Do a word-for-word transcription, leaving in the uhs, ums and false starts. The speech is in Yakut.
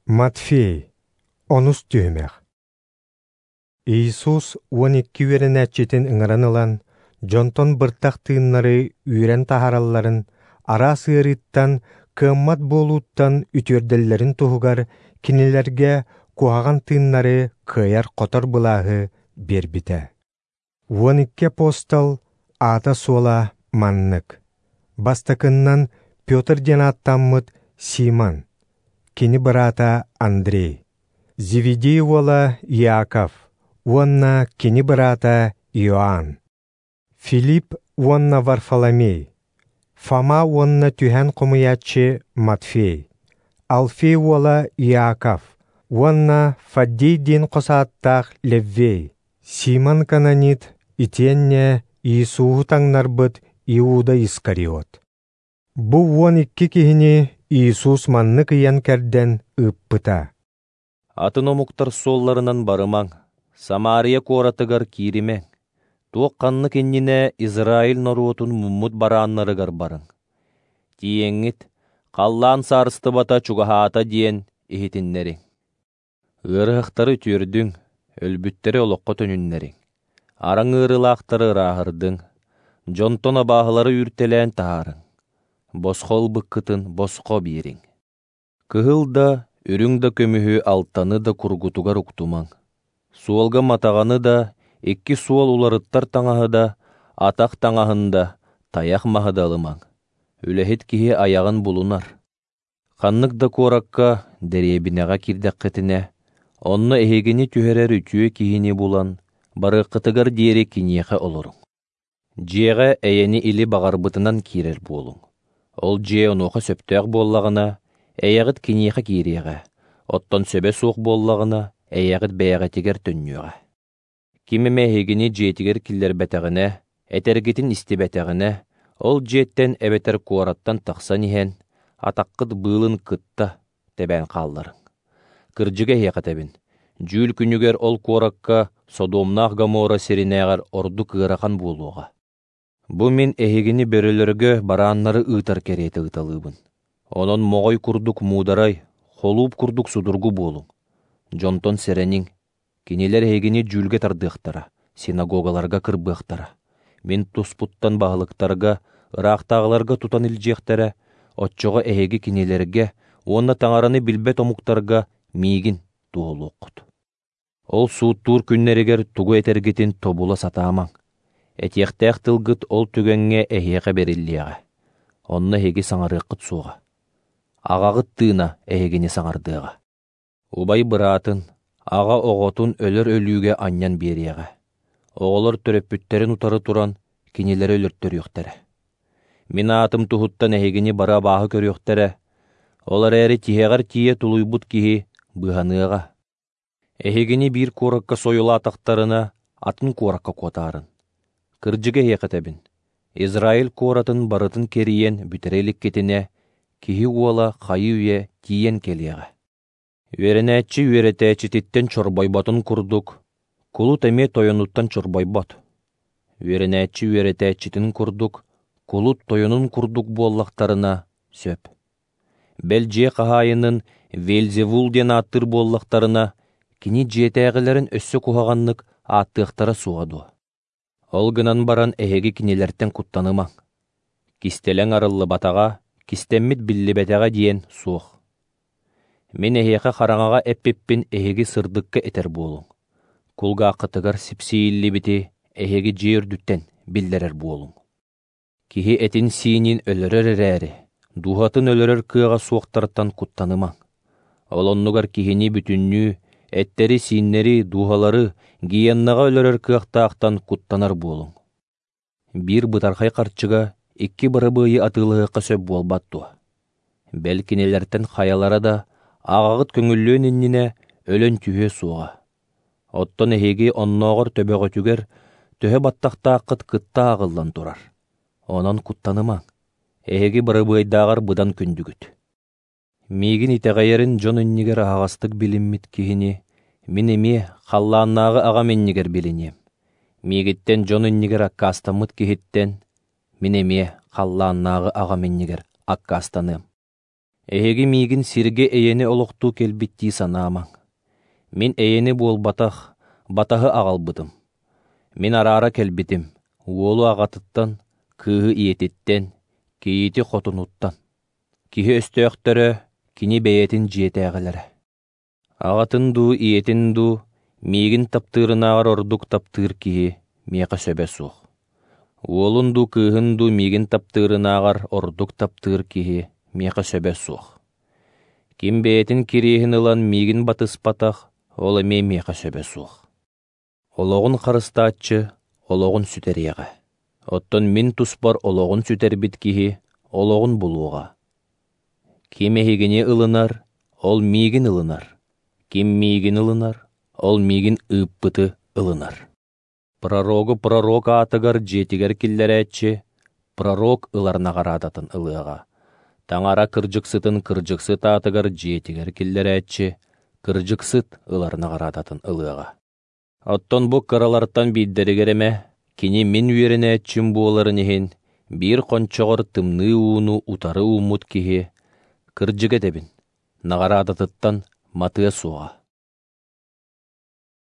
Матфей, онус түһүмэх. Иисус уон икки үөрэнээччитин ыҥыран ылан, дьонтон быртах тыыннары үүрэн таһааралларын, араас ыарыыттан, кыаммат буолууттан үтүөрдэллэрин туһугар кинилэргэ куһаҕан тыыннары кыайар-хотор былааһы биэрбитэ. Уон икки апостол аата-суола маннык. Бастакыннан Петр диэн ааттаммыт Симон, кини быраата Андрей, Зеведей уола Иаков уонна кини быраата Иоанн, Филипп уонна Варфоломей, Фома уонна түһэн хомуйааччы Матфей, Алфей уола Иаков уонна Фаддей диэн хос ааттаах Леввей, Симон Кананит итиэннэ Иисуһу таҥнарбыт Иуда Искариот. Бу уон икки киһини Иисус маннык ыйан кэрдэн ыыппыта. Атын омуктар суолларынан барымаҥ, Самария куоратыгар кииримэҥ, туох ханнык иннинэ Израиль норуотун муммут барааннарыгар барыҥ. Тиийэҥҥит, халлаан саарыстыбата чугаһаата диэн иһитиннэриҥ. Ыарыһахтары үтүөрдүҥ, өлбүттэри олоххо төнүннэриҥ, араҥ ыарыылаахтары ырааһырдыҥ, дьонтон абааһылары үүртэлээн таһаарыҥ, босхо ылбыккытын босхо биэриҥ. Кыһыл да, үрүҥ да көмүһү алтаны да кургутугар уктумаҥ. Суолга матаҕаны да, икки суол уларыттар таҥаһы да, атах таҥаһын да, тайах маһы да ылымаҥ. Үлэһит киһи айаҕын булунар. Ханнык да куоракка, дэриэбинэҕэ киирдэххитинэ, онно эһигини түһэрэр үтүө киһини булан, барыаххытыгар диэри киниэхэ олоруҥ. Дьиэҕэ эйэни или баҕарбытынан киирэр буолуҥ. Ол дьиэ онуоха сөптөөх буоллаҕына, эйэҕит киниэхэ киириэҕэ, оттон сөбө суох буоллаҕына, эйэҕит бэйэҕитигэр төннүөҕэ. Ким эмэ эһигини дьиэтигэр киллэрбэтэҕинэ, этэргитин истибэтэҕинэ, ол дьиэттэн эбэтэр куораттан тахсан иһэн, атаххыт быылын кытта тэбээн хаалларыҥ. Кырдьыга эһиэхэ этэбин, дьүүл күнүгэр ол куоракка Содомнаах Гоморра сиринээҕэр ордук ыарахан буолуоҕа. Бу мин эһигини бөрөлөргө барааннары ыытар кэриэтэ ыыталыыбын. Онон моҕой курдук муударай, холууп курдук судургу буолуҥ. Дьонтон сэрэниҥ, кинилэр эһигини дьүүлгэ тардыахтара, синагогаларга кырбыахтара. Мин туспуттан баһылыктарга, ыраахтааҕыларга тутан илдьиэхтэрэ, оччоҕо эһиги кинилэргэ уонна таҥараны билбэт омуктарга миигин туоһулуоххут. Ол сууттуур күннэригэр тугу этэргитин тобула сатаамаҥ. Этиэхтээх тылгыт ол түгэҥҥэ эһиэхэ бэриллиэҕэ. Онно эһиги саҥарыаххыт суоҕа. Аҕаҕыт тыына эһигини саҥардыаҕа. Убай быраатын, аҕа оҕотун өлөр өлүүгэ анньан биэриэҕэ. Оҕолор төрөппүттэрин утары туран, кинилэри өлөртөрүөхтэрэ. Мин аатым туһуттан эһигини бары абааһы көрүөхтэрэ. Ол эрээри тиһэҕэр тиийэ тулуйбут киһи быыһаныаҕа. Эһигини биир куоракка сойулаатахтарына, атын куоракка куотаарын. Кырдьыга эһиэхэ этэбин, Израиль куоратын барытын кэрийэн бүтэрэ иликкитинэ, киһи уола хайыы-үйэ тиийэн кэлиэҕэ. Үөрэнээччи үөрэтээччититтэн чорбойботун курдук, кулут эмиэ тойонуттан чорбойбот. Үөрэнээччи үөрэтээччитин курдук, кулут тойонун курдук буоллахтарына сөп. Бэл дьиэ хаһаайынын Вельзевул диэн ааттыыр буоллахтарына, кини дьиэтээҕилэрин өссө куһаҕаннык ааттыахтара суоҕа дуо? Ол гынан баран эһиги кинилэртэн куттанымаҥ. Кистэлэҥ арыллыбатаҕа, кистэммит биллибэтэҕэ диэн суох. Мин эһиэхэ хараҥаҕа эппиппин эһиги сырдыкка этэр буолуҥ. Кулгааххытыгар сипсийиллибити эһиги дьиэ үрдүттэн биллэрэр буолуҥ. Киһи этин-сиинин өлөрөр эрээри, дууһатын өлөрөр кыаҕа суохтартан куттанымаҥ. Ол оннугар киһини бүтүннүү, эттэри-сииннэри, дууһалары гиеннаҕа өлөрөр кыахтаахтан куттанар буолуҥ. Биир бытархай харчыга икки барабыайы атыылаһыахха сөп буолбат дуо? Бэл кинилэртэн хайалара да аҕаҕыт көҥүллүөн иннинэ өлөн түһүө суоҕа. Оттон эһиги оннооҕор төбөҕүтүгэр төһө баттахтааххыт кытта ааҕыллан турар. Онон куттанымаҥ. Эһиги барабыайдааҕар быдан күндүгүт. Миигин итэҕэйэрин дьон иннигэр аһаҕастык билиммит киһини мин эмиэ халлааннааҕы аҕам иннигэр билиниэм. Миигиттэн дьон иннигэр аккаастаммыт киһиттэн мин эмиэ халлааннааҕы аҕам иннигэр аккаастаныам. Эһиги миигин сиргэ эйэни олохтуу кэлбит дии санаамаҥ. Мин эйэни буолбатах, батаһы аҕалбытым. Мин араара кэлбитим, уолу аҕатыттан, кыыһы ийэтиттэн, кийиити хотунуттан. Киһи өстөөхтөрө, кини бэйэтин дьиэтээҕилэрэ. Аҕатын дуу, ийэтин дуу, миигин таптыырынааҕар ордук таптыыр киһи миэхэ сөбө суох. Уолун дуу, кыыһын дуу миигин таптыырынааҕар ордук таптыыр киһи миэхэ сөбө суох. Ким бэйэтин кириэһин ылан миигин батыспатах, ол эмиэ миэхэ сөбө суох. Олоҕун харыстааччы олоҕун сүтэриэҕэ. Оттон мин туспар олоҕун сүтэрбит киһи олоҕун булуоҕа. Ким эһигини ылынар, ол миигин ылынар. Ким миигин ылынар, ол миигин ыыппыты ылынар. Пророгу пророк аатыгар дьиэтигэр киллэрээччи, пророк ылар наҕараадатын ылыаҕа. Таҥара кырдьыксытын кырдьыксыт аатыгар дьиэтигэр киллэрээччи, кырдьыксыт ылар наҕараадатын ылыаҕа. Оттон бу кыралартан биирдэригэр эмэ, кини мин үөрэнээччим буоларын иһин, биир хончоҕор тымныы ууну утары ууммут киһи, кырдьык этэбин, наҕараадатыттан матыа суоҕа.